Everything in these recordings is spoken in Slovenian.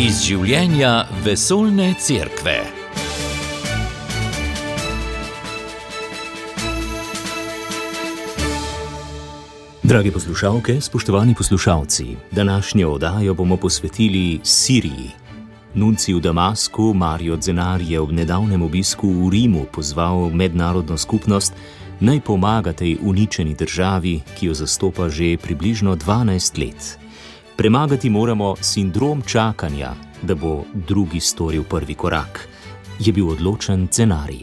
Iz življenja vesoljne cerkve. Drage poslušalke, spoštovani poslušalci, današnjo oddajo bomo posvetili Siriji. Nuncij v Damasku Mario Zenar je ob nedavnem obisku v Rimu pozval mednarodno skupnost, naj pomaga tej uničeni državi, ki jo zastopa že približno 12 let. Premagati moramo sindrom čakanja, da bo drugi storil prvi korak, je bil odločen Zenari.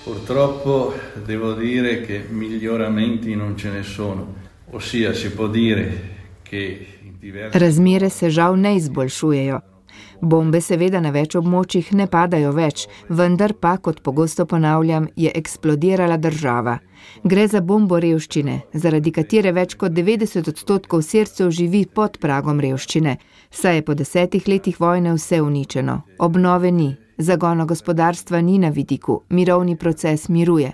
Purtroppo devo dire che miglioramenti non ce ne sono, ossia si può dire che Razmere se žal ne izboljšujejo. Bombe seveda na več območjih ne padajo več, vendar pa, kot pogosto ponavljam, je eksplodirala država. Gre za bombo revščine, zaradi katere več kot 90% Sircev živi pod pragom revščine, saj je po 10 letih vojne vse uničeno. Obnove ni, zagona gospodarstva ni na vidiku, mirovni proces miruje.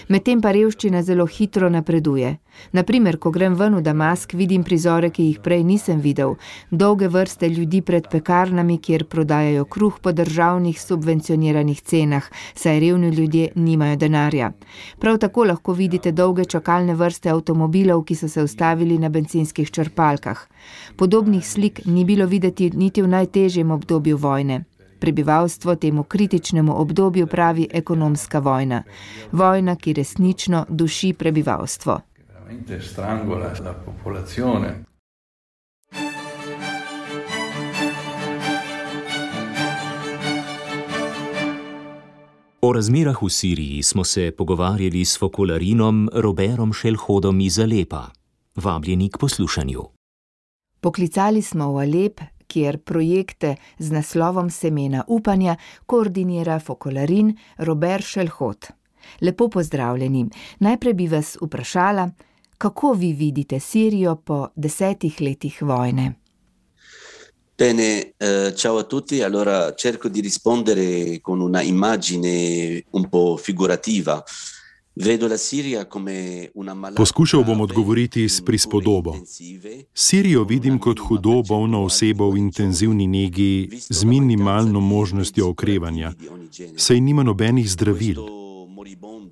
Medtem pa revščina zelo hitro napreduje. Naprimer, ko grem ven v Damask, vidim prizore, ki jih prej nisem videl. Dolge vrste ljudi pred pekarnami, kjer prodajajo kruh po državnih subvencioniranih cenah, saj revni ljudje nimajo denarja. Prav tako lahko vidite dolge čakalne vrste avtomobilov, ki so se ustavili na bencinskih črpalkah. Podobnih slik ni bilo videti niti v najtežjem obdobju vojne. Prebivalstvo temu kritičnemu obdobju pravi ekonomska vojna. Vojna, ki resnično duši prebivalstvo. O razmerah v Siriji smo se pogovarjali s fokolarinom Roberom Šelhodom iz Alepa. Vabljeni k poslušanju. Poklicali smo v Alep, kjer projekte z naslovom Semena upanja koordinira fokolarin Robert Šelhod. Lepo pozdravljeni. Najprej bi vas vprašala, kako vi vidite Sirijo po 10 letih vojne? Bene, ciao a tutti. Allora cerco di rispondere con una immagine un po' figurativa. Poskušal bom odgovoriti s prispodobo. Sirijo vidim kot hudo bolno osebo v intenzivni negi z minimalno možnostjo okrevanja, saj nima nobenih zdravil.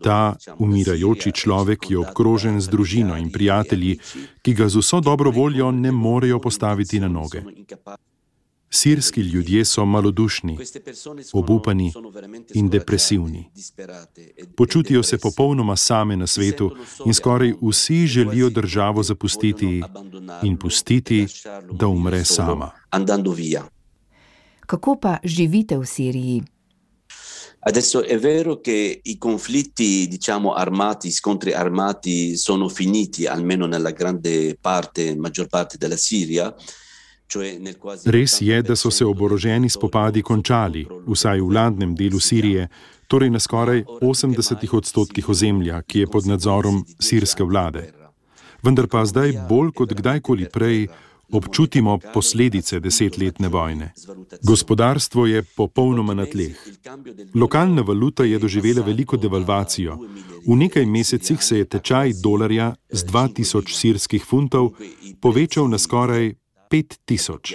Ta umirajoči človek je obkrožen z družino in prijatelji, ki ga z vso dobro voljo ne morejo postaviti na noge. Sirski ljudje so malodušni, obupani in depresivni. Počutijo se popolnoma same na svetu in skoraj vsi želijo državo zapustiti in pustiti, da umre sama. Kako pa živite v Siriji? Adesso è vero che i conflitti, armati, scontri armati sono finiti, almeno nella maggior parte della Siria. Res je, da so se oboroženi spopadi končali, vsaj v vladnem delu Sirije, torej na skoraj 80% ozemlja, ki je pod nadzorom sirske vlade. Vendar pa zdaj bolj kot kdajkoli prej občutimo posledice 10-letne vojne. Gospodarstvo je popolnoma na tleh. Lokalna valuta je doživela veliko devalvacijo. V nekaj mesecih se je tečaj dolarja z 2000 sirskih funtov povečal na skoraj 5000.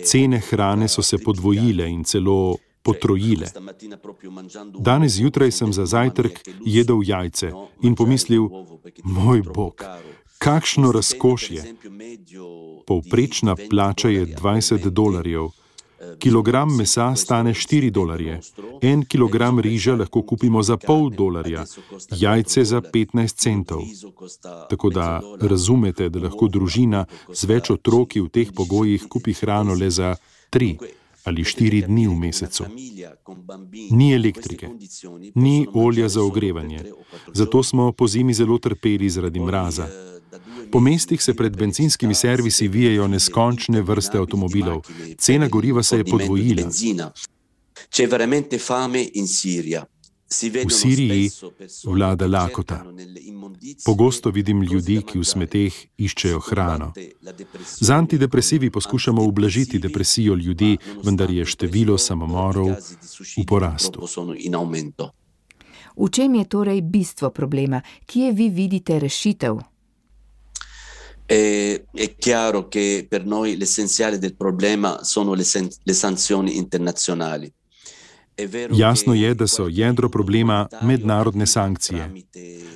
Cene hrane so se podvojile in celo potrojile. Danes zjutraj sem za zajtrk jedel jajce in pomislil, moj bog, kakšno razkošje. Povprečna plača je $20. Kilogram mesa stane $4. 1 kilogram riža lahko kupimo za $0,5, jajce za 15 centov. Tako da razumete, da lahko družina z več otroki v teh pogojih kupi hrano le za 3 ali 4 dni v mesecu. Ni elektrike, ni olja za ogrevanje, zato smo po zimi zelo trpeli zaradi mraza. Po mestih se pred bencinskimi servisi vijejo neskončne vrste avtomobilov. Cena goriva se je podvojila. V Siriji vlada lakota. Pogosto vidim ljudi, ki v smeteh iščejo hrano. Z antidepresivi poskušamo ublažiti depresijo ljudi, vendar je število samomorov v porastu. V čem je torej bistvo problema? Kje vi vidite rešitev? È chiaro che per noi l'essenziale del problema sono le sanzioni internazionali. Jasno je, da so jedro problema mednarodne sankcije.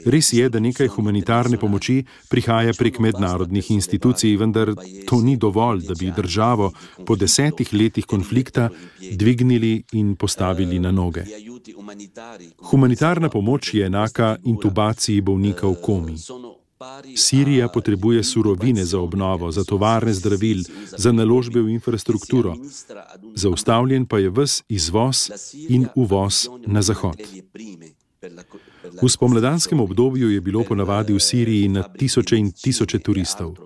Res je, da nekaj humanitarne pomoči prihaja prek mednarodnih institucij, vendar to ni dovolj, da bi državo po 10 letih konflikta dvignili in postavili na noge. Humanitarna pomoč je enaka intubaciji bolnika v komi. Sirija potrebuje surovine za obnovo, za tovarne zdravil, za naložbe v infrastrukturo. Zaustavljen pa je ves izvoz in uvoz na zahod. V spomladanskem obdobju je bilo ponavadi v Siriji na tisoče in tisoče turistov.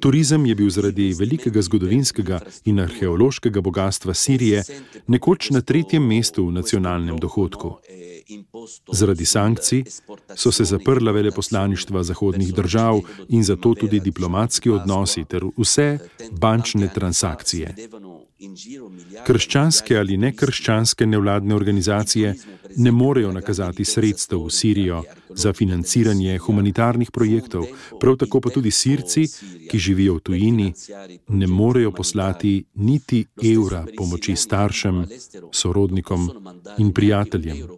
Turizem je bil zaradi velikega zgodovinskega in arheološkega bogatstva Sirije nekoč na 3. mestu v nacionalnem dohodku. Zaradi sankcij so se zaprla veleposlaništva zahodnih držav in zato tudi diplomatski odnosi ter vse bančne transakcije. Krščanske ali nekrščanske nevladne organizacije ne morejo nakazati sredstev v Sirijo za financiranje humanitarnih projektov, prav tako pa tudi Sirci, ki živijo v tujini, ne morejo poslati niti evra pomoči staršem, sorodnikom in prijateljem.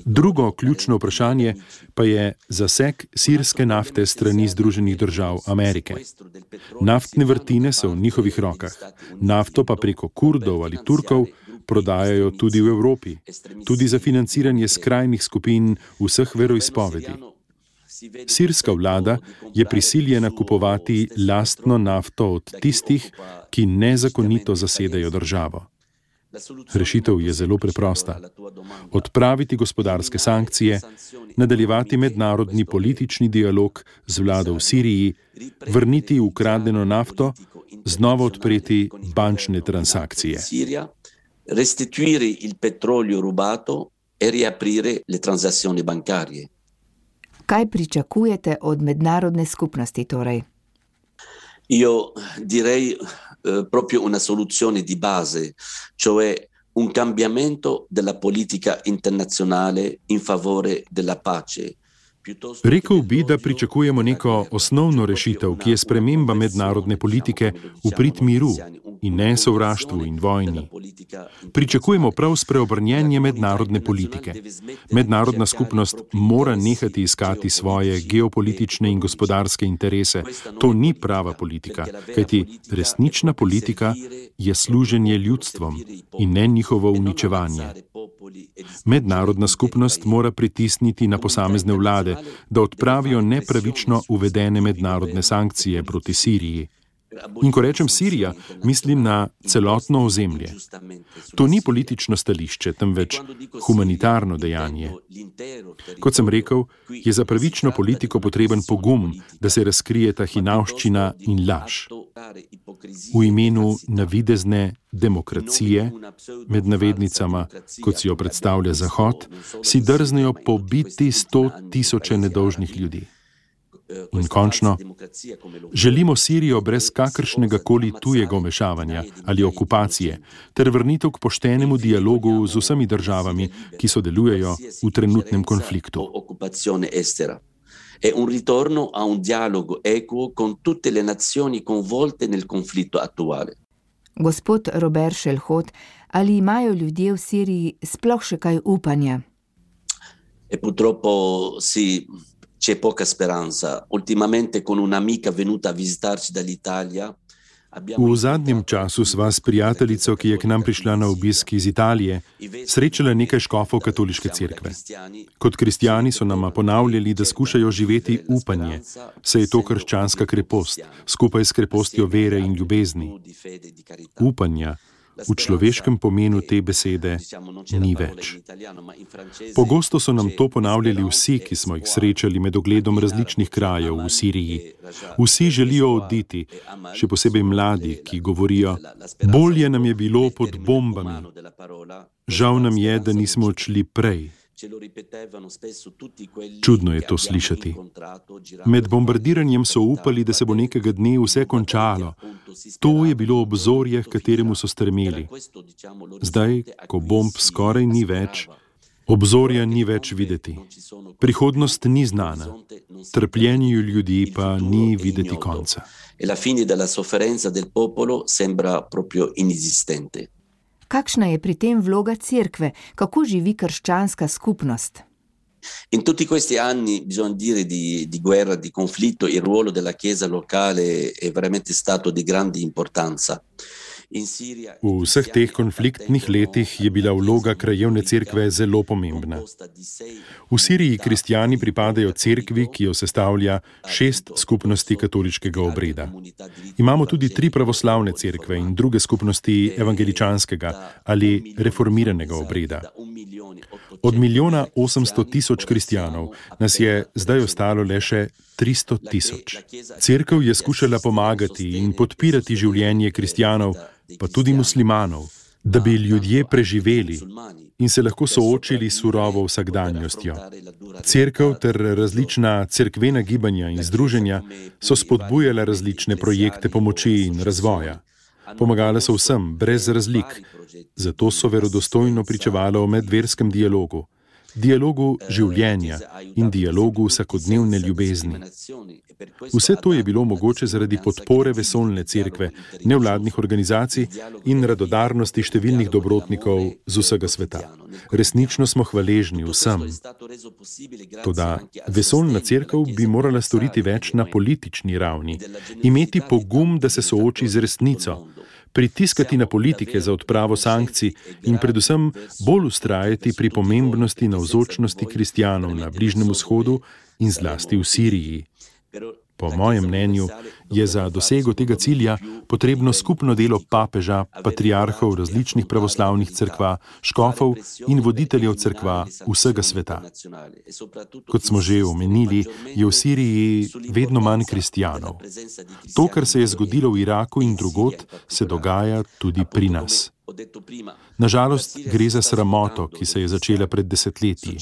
Drugo ključno vprašanje pa je zaseg sirske nafte strani Združenih držav Amerike. Naftne vrtine so v njihovih rokah, nafto pa preko Kurdov ali Turkov prodajajo tudi v Evropi, tudi za financiranje skrajnih skupin vseh veroizpovedi. Sirska vlada je prisiljena kupovati lastno nafto od tistih, ki nezakonito zasedajo državo. Rešitev je zelo preprosta. Odpraviti gospodarske sankcije, nadaljevati mednarodni politični dialog z vlado v Siriji, vrniti ukradeno nafto, znova odpreti bančne transakcije. Restituire il petrolio rubato e riaprire le transazioni bancarie. Kaj pričakujete od mednarodne skupnosti torej? Io direi proprio una soluzione di base, cioè un cambiamento della politica internazionale in favore della pace. Rekel bi, da pričakujemo neko osnovno rešitev, ki je sprememba mednarodne politike v prid miru in ne sovraštvu in vojni. Pričakujemo prav spreobrnjenje mednarodne politike. Mednarodna skupnost mora nehati iskati svoje geopolitične in gospodarske interese. To ni prava politika, kajti resnična politika je služenje ljudstvom in ne njihovo uničevanje. Mednarodna skupnost mora pritisniti na posamezne vlade, da odpravijo nepravično uvedene mednarodne sankcije proti Siriji. In ko rečem Sirija, mislim na celotno ozemlje. To ni politično stališče, temveč humanitarno dejanje. Kot sem rekel, je za pravično politiko potreben pogum, da se razkrije ta hinavščina in laž. V imenu navidezne demokracije, med navednicama, kot si jo predstavlja Zahod, si drznejo pobiti 100.000 nedolžnih ljudi. In končno, želimo Sirijo brez kakršnega koli tujega vmešavanja ali okupacije, ter vrnitev k poštenemu dialogu z vsemi državami, ki sodelujejo v trenutnem konfliktu. È un ritorno a un dialogo equo con tutte le nazioni coinvolte nel conflitto attuale. Gospod Robert Šelhot, ali imajo ljudje v Siriji sploh še kaj upanja? E purtroppo sì. C'è poca speranza. Ultimamente con un'amica venuta a visitarci dall'Italia. V zadnjem času sva s prijateljico, ki je k nam prišla na obisk iz Italije, srečala nekaj škofov katoliške cerkve. Kot kristjani so nama ponavljali, da skušajo živeti upanje, saj je to krščanska krepost, skupaj s krepostjo vere in ljubezni. Upanja v človeškem pomenu te besede ni več. Pogosto so nam to ponavljali vsi, ki smo jih srečali med ogledom različnih krajev v Siriji. Vsi želijo oditi, še posebej mladi, ki govorijo: bolje nam je bilo pod bombami. Žal nam je, da nismo odšli prej. Čudno je to slišati. Med bombardiranjem so upali, da se bo nekega dne vse končalo. To je bilo obzorje, k kateremu so stremeli. Zdaj, ko bomb skoraj ni več, Obzorja ni več videti. Prihodnost ni znana. Trpljenju ljudi pa ni videti konca. La fine della sofferenza del popolo sembra proprio inesistente. Kakšna je pri tem vloga cerkve? Kako živi krščanska skupnost? In tutti questi anni, bisogna dire, di guerra, di conflitto, il ruolo della Chiesa locale è veramente stato di grande importanza. V vseh teh konfliktnih letih je bila vloga krajevne cerkve zelo pomembna. V Siriji kristjani pripadajo cerkvi, ki jo sestavlja 6 skupnosti katoliškega obreda. Imamo tudi 3 pravoslavne cerkve in druge skupnosti evangeličanskega ali reformiranega obreda. Od 1.800.000 kristjanov nas je zdaj ostalo le še 300.000. Cerkev je skušala pomagati in podpirati življenje kristjanov, pa tudi muslimanov, da bi ljudje preživeli in se lahko soočili s surovo vsakdanjostjo. Cerkev ter različna cerkvena gibanja in združenja so spodbujala različne projekte pomoči in razvoja. Pomagala so vsem, brez razlik, zato so verodostojno pričevala o medverskem dialogu življenja in dialogu vsakodnevne ljubezni. Vse to je bilo mogoče zaradi podpore vesoljne cerkve, nevladnih organizacij in radodarnosti številnih dobrotnikov z vsega sveta. Resnično smo hvaležni vsem. Toda vesoljna cerkev bi morala storiti več na politični ravni, imeti pogum, da se sooči z resnico, pritiskati na politike za odpravo sankcij in predvsem bolj vztrajati pri pomembnosti navzočnosti kristjanov na Bližnjem vzhodu in zlasti v Siriji. Po mojem mnenju je za dosego tega cilja potrebno skupno delo papeža, patriarhov različnih pravoslavnih cerkva, škofov in voditeljev cerkva vsega sveta. Kot smo že omenili, je v Siriji vedno manj kristjanov. To, kar se je zgodilo v Iraku in drugod, se dogaja tudi pri nas. Nažalost, gre za sramoto, ki se je začela pred desetletji.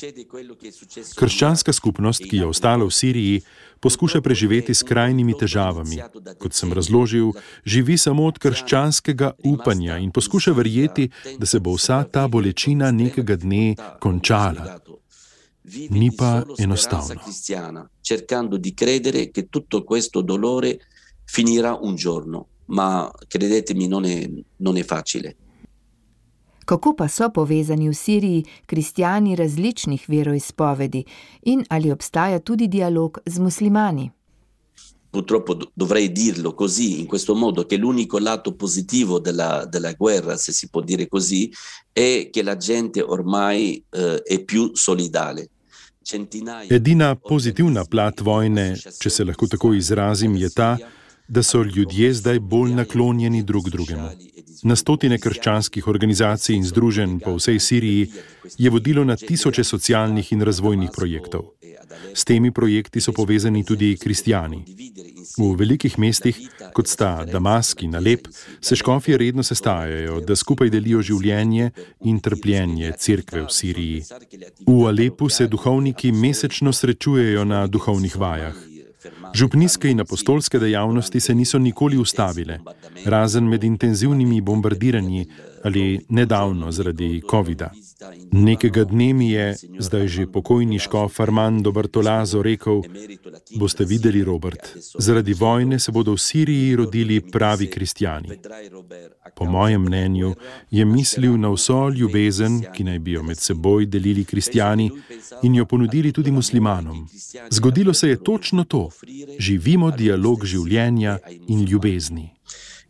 Krščanska skupnost, ki je ostala v Siriji, poskuša preživeti s krajnimi težavami. Kot sem razložil, živi samo od krščanskega upanja in poskuša verjeti, da se bo vsa ta bolečina nekega dne končala. Ni pa enostavno. Cercando di credere che tutto questo dolore finirà un giorno, ma credetemi non è facile. Kako pa so povezani v Siriji kristjani različnih veroizpovedi in ali obstaja tudi dialog z muslimani? Purtroppo dovrei dirlo così, in questo modo, che l'unico lato positivo della guerra, se si può dire così, è che la gente ormai è più solidale. Edina pozitivna plat vojne, če se lahko tako izrazim, je ta, da so ljudje zdaj bolj naklonjeni drug drugemu. Na stotine krščanskih organizacij in združenj po vsej Siriji je vodilo na tisoče socialnih in razvojnih projektov. S temi projekti so povezani tudi kristjani. V velikih mestih, kot sta Damask in Alep, se škofje redno sestajajo, da skupaj delijo življenje in trpljenje cerkve v Siriji. V Alepu se duhovniki mesečno srečujejo na duhovnih vajah. Župnijske in apostolske dejavnosti se niso nikoli ustavile, razen med intenzivnimi bombardiranji ali nedavno zaradi covida. Nekega dne mi je, zdaj že pokojni škof Armando Bartolazo, rekel: "Boste videli, Robert, zaradi vojne se bodo v Siriji rodili pravi kristjani." Po mojem mnenju je mislil na vso ljubezen, ki naj bi jo med seboj delili kristjani in jo ponudili tudi muslimanom. Zgodilo se je točno to. Živimo dialog življenja in ljubezni.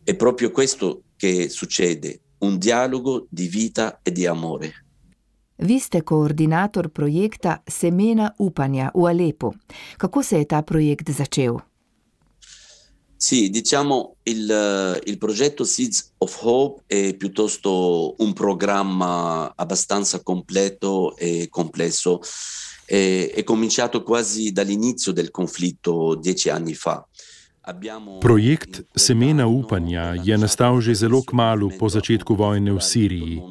È proprio questo che succede, un dialogo di vita e di amore. Vi ste koordinator projekta Semena upanja v Alepu. Kako se je ta projekt začel? Sì, diciamo il progetto Seeds of Hope è piuttosto un programma abbastanza completo e complesso. È cominciato quasi dall'inizio del conflitto 10 anni fa. Projekt Semena upanja je nastal že zelo kmalu po začetku vojne v Siriji.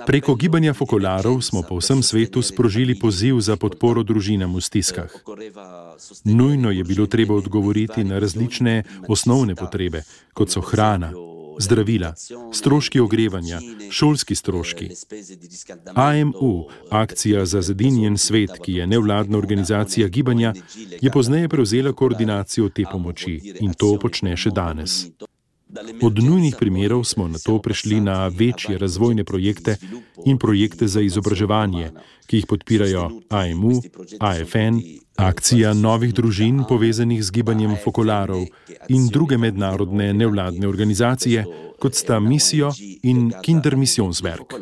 Preko gibanja fokolarov smo po vsem svetu sprožili poziv za podporo družinam v stiskah. Nujno je bilo treba odgovoriti na različne osnovne potrebe, kot so hrana, zdravila, stroški ogrevanja, šolski stroški. AMU, Akcija za zedinjen svet, ki je nevladna organizacija gibanja, je pozneje prevzela koordinacijo te pomoči in to počne še danes. Od nujnih primerov smo nato prešli na večje razvojne projekte in projekte za izobraževanje, ki jih podpirajo AMU, AFN, Akcija novih družin povezanih z gibanjem fokolarov in druge mednarodne nevladne organizacije, kot sta Missio in Kindermissionswerk.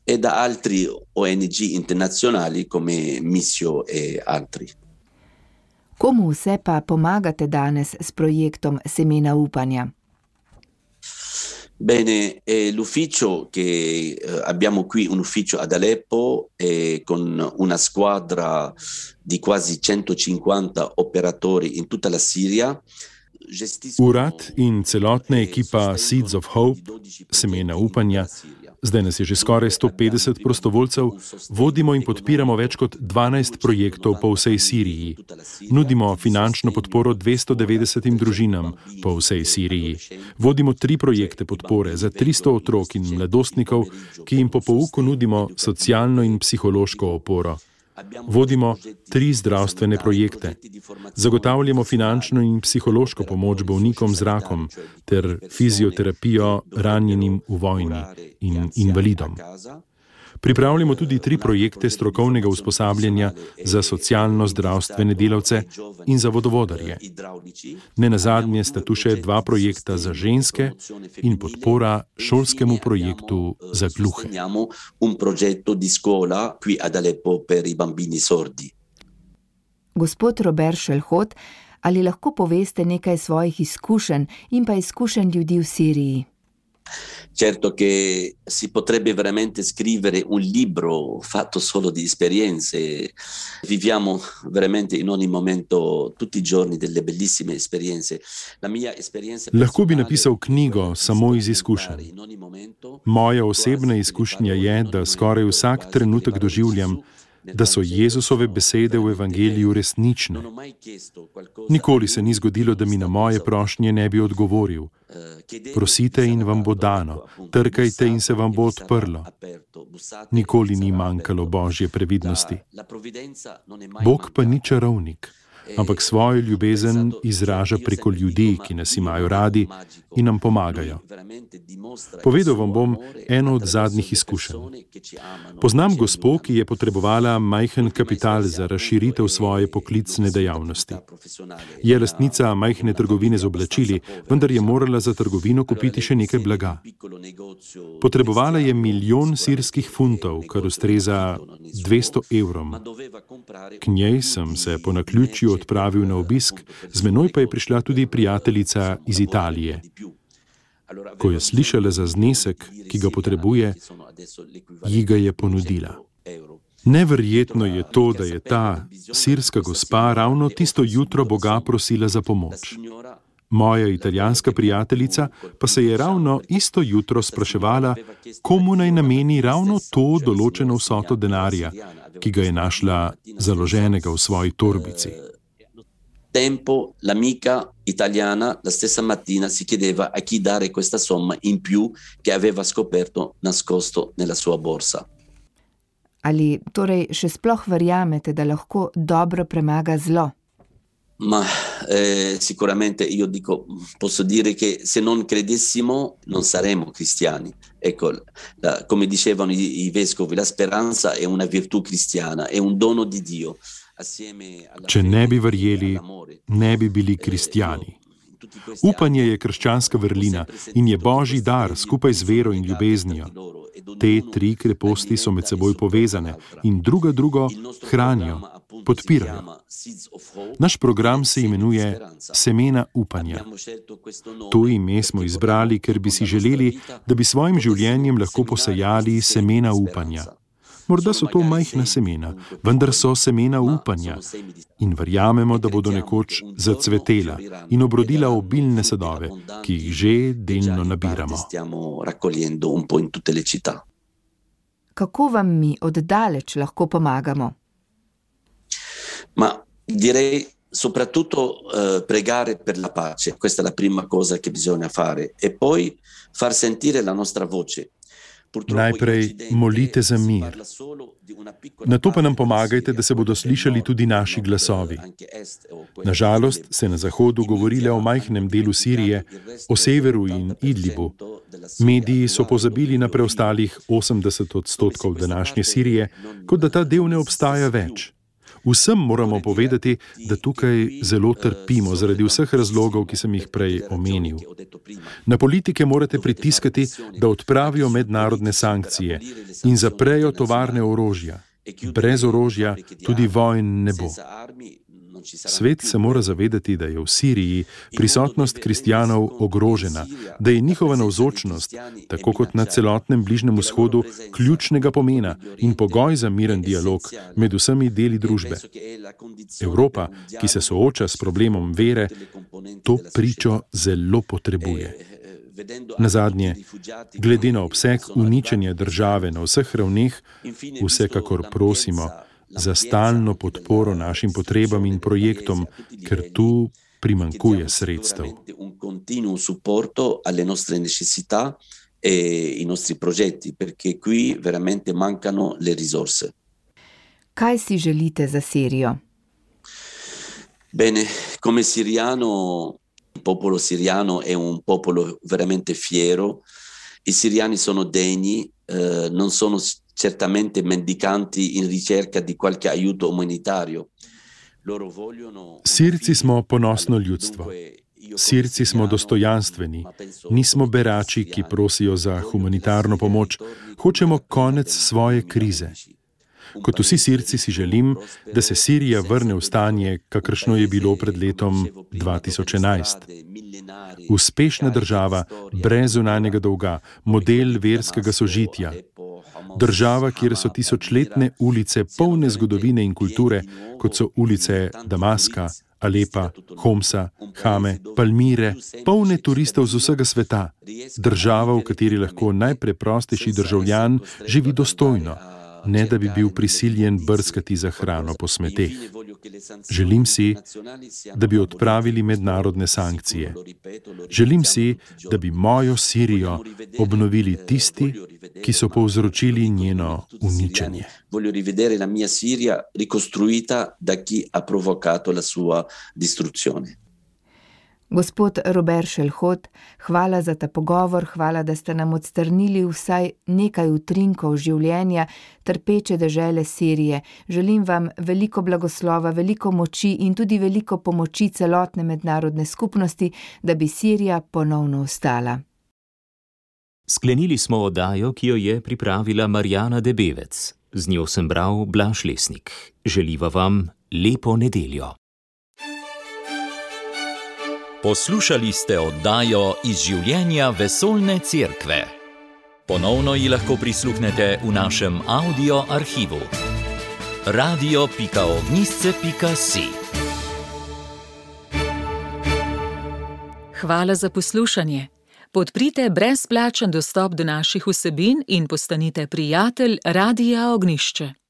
E da altri ONG internazionali come Missio e altri. Komu vse pa pomagate danes s projektom Semena upanja? Bene, l'ufficio che abbiamo qui, un ufficio ad Aleppo con una squadra di quasi 150 operatori in tutta la Siria. Urad in celotna ekipa Seeds of Hope, Semena upanja, zdaj nas je že skoraj 150 prostovoljcev, vodimo in podpiramo več kot 12 projektov po vsej Siriji. Nudimo finančno podporo 290 družinam po vsej Siriji. Vodimo 3 projekte podpore za 300 otrok in mladostnikov, ki jim po pouku nudimo socialno in psihološko oporo. Vodimo 3 zdravstvene projekte. Zagotavljamo finančno in psihološko pomoč bolnikom z rakom ter fizioterapijo ranjenim v vojni in invalidom. Pripravljamo tudi 3 projekte strokovnega usposabljanja za socialno-zdravstvene delavce in za vodovodarje. Nenazadnje sta tu še 2 projekta za ženske in podpora šolskemu projektu za gluhe. Gospod Robert Šelhot, ali lahko poveste nekaj svojih izkušenj in pa izkušenj ljudi v Siriji? Certo che si potrebbe veramente scrivere un libro fatto solo di esperienze. Viviamo veramente in ogni momento, tutti i giorni, delle bellissime esperienze. La mia esperienza Lahko bi napisal knjigo samo iz izkušenj. Moja osebna izkušnja je, da skoraj vsak trenutek doživljam, da so Jezusove besede v evangeliju resnične. Nikoli se ni zgodilo, da mi na moje prošnje ne bi odgovoril. Prosite in vam bo dano, trkajte in se vam bo odprlo. Nikoli ni manjkalo Božje previdnosti. Bog pa ni čarovnik, ampak svojo ljubezen izraža preko ljudi, ki nas imajo radi in nam pomagajo. Povedal vam bom eno od zadnjih izkušenj. Poznam gospo, ki je potrebovala majhen kapital za razširitev svoje poklicne dejavnosti. Je lastnica majhne trgovine z oblačili, vendar je morala za trgovino kupiti še nekaj blaga. Potrebovala je 1 milijon sirskih funtov, kar ustreza 200 evrom. K njej sem se po naključju odpravil na obisk, z menoj pa je prišla tudi prijateljica iz Italije. Ko je slišala za znesek, ki ga potrebuje, ji ga je ponudila. Neverjetno je to, da je ta sirska gospa ravno tisto jutro Boga prosila za pomoč. Moja italijanska prijateljica pa se je ravno isto jutro spraševala, komu naj nameni ravno to določeno vsoto denarja, ki ga je našla založenega v svoji torbici. Tempo l'amica italiana la stessa mattina si chiedeva a chi dare questa somma in più che aveva scoperto nascosto nella sua borsa. Ali torej še sploh verjamete, da lahko dobro premaga zlo? Ma sicuramente io posso dire che se non credessimo non saremmo cristiani. Ecco, come dicevano i vescovi, la speranza è una virtù cristiana, è un dono di Dio. Če ne bi verjeli, ne bi bili kristjani. Upanje je krščanska vrlina in je Božji dar skupaj z vero in ljubeznijo. Te 3 kreposti so med seboj povezane in drugo hranijo, podpirajo. Naš program se imenuje Semena upanja. To ime smo izbrali, ker bi si želeli, da bi svojim življenjem lahko posejali semena upanja. Morda so to majhna semena, vendar so semena upanja in verjamemo, da bodo nekoč zacvetela in obrodila obilne sadove, ki jih že delno nabiramo. Kako vam mi od daleč lahko pomagamo? Ma direi soprattutto pregare per la pace, questa è la prima cosa che bisogna fare, e poi far sentire la nostra voce. Najprej molite za mir. Nato pa nam pomagajte, da se bodo slišali tudi naši glasovi. Nažalost se na Zahodu govori le o majhnem delu Sirije, o severu in Idlibu. Mediji so pozabili na preostalih 80% današnje Sirije, kot da ta del ne obstaja več. Vsem moramo povedati, da tukaj zelo trpimo zaradi vseh razlogov, ki sem jih prej omenil. Na politike morate pritiskati, da odpravijo mednarodne sankcije in zaprejo tovarne orožja. Brez orožja tudi vojn ne bo. Svet se mora zavedati, da je v Siriji prisotnost kristjanov ogrožena, da je njihova navzočnost, tako kot na celotnem Bližnjem vzhodu, ključnega pomena in pogoj za miren dialog med vsemi deli družbe. Evropa, ki se sooča s problemom vere, to pričo zelo potrebuje. Nazadnje, glede na obseg uničenja države na vseh ravneh, vsekakor prosimo za stalno podporo našim potrebam in projektom, ker tu primanjkuje sredstev. Kaj si želite za Sirijo? Bene, come siriano, il popolo siriano è un popolo veramente fiero. I siriani sono degni, non sono certamente mendicanti in ricerca di qualche aiuto umanitario. Sirci smo ponosno ljudstvo. Sirci smo dostojanstveni. Nismo berači, ki prosijo za humanitarno pomoč. Hočemo konec svoje krize. Kot vsi Sirci si želim, da se Sirija vrne v stanje, kakršno je bilo pred letom 2011. Uspešna država, brez zunanjega dolga, model verskega sožitja. Država, kjer so tisočletne ulice polne zgodovine in kulture, kot so ulice Damaska, Alepa, Homsa, Hame, Palmire, polne turistov z vsega sveta. Država, v kateri lahko najpreprostejši državljan živi dostojno, ne da bi bil prisiljen brskati za hrano po smeteh. Želim si, da bi odpravili mednarodne sankcije. Želim si, da bi mojo Sirijo obnovili tisti, ki so povzročili njeno uničenje. Voglio rivedere la mia Siria ricostruita da chi ha provocato la sua distruzione. Gospod Robert Šelhot, hvala za ta pogovor, hvala, da ste nam odstrnili vsaj nekaj utrinkov življenja trpeče dežele Sirije. Želim vam veliko blagoslova, veliko moči in tudi veliko pomoči celotne mednarodne skupnosti, da bi Sirija ponovno vstala. Sklenili smo oddajo, ki jo je pripravila Marjana Debevec. Z njo sem bral Blaž Lesnik. Želiva vam lepo nedeljo. Poslušali ste oddajo Iz življenja vesoljne cerkve. Ponovno ji lahko prisluhnete v našem audio arhivu. radio.ognisce.si. Hvala za poslušanje. Podprite brezplačen dostop do naših vsebin in postanite prijatelj Radia Ognišče.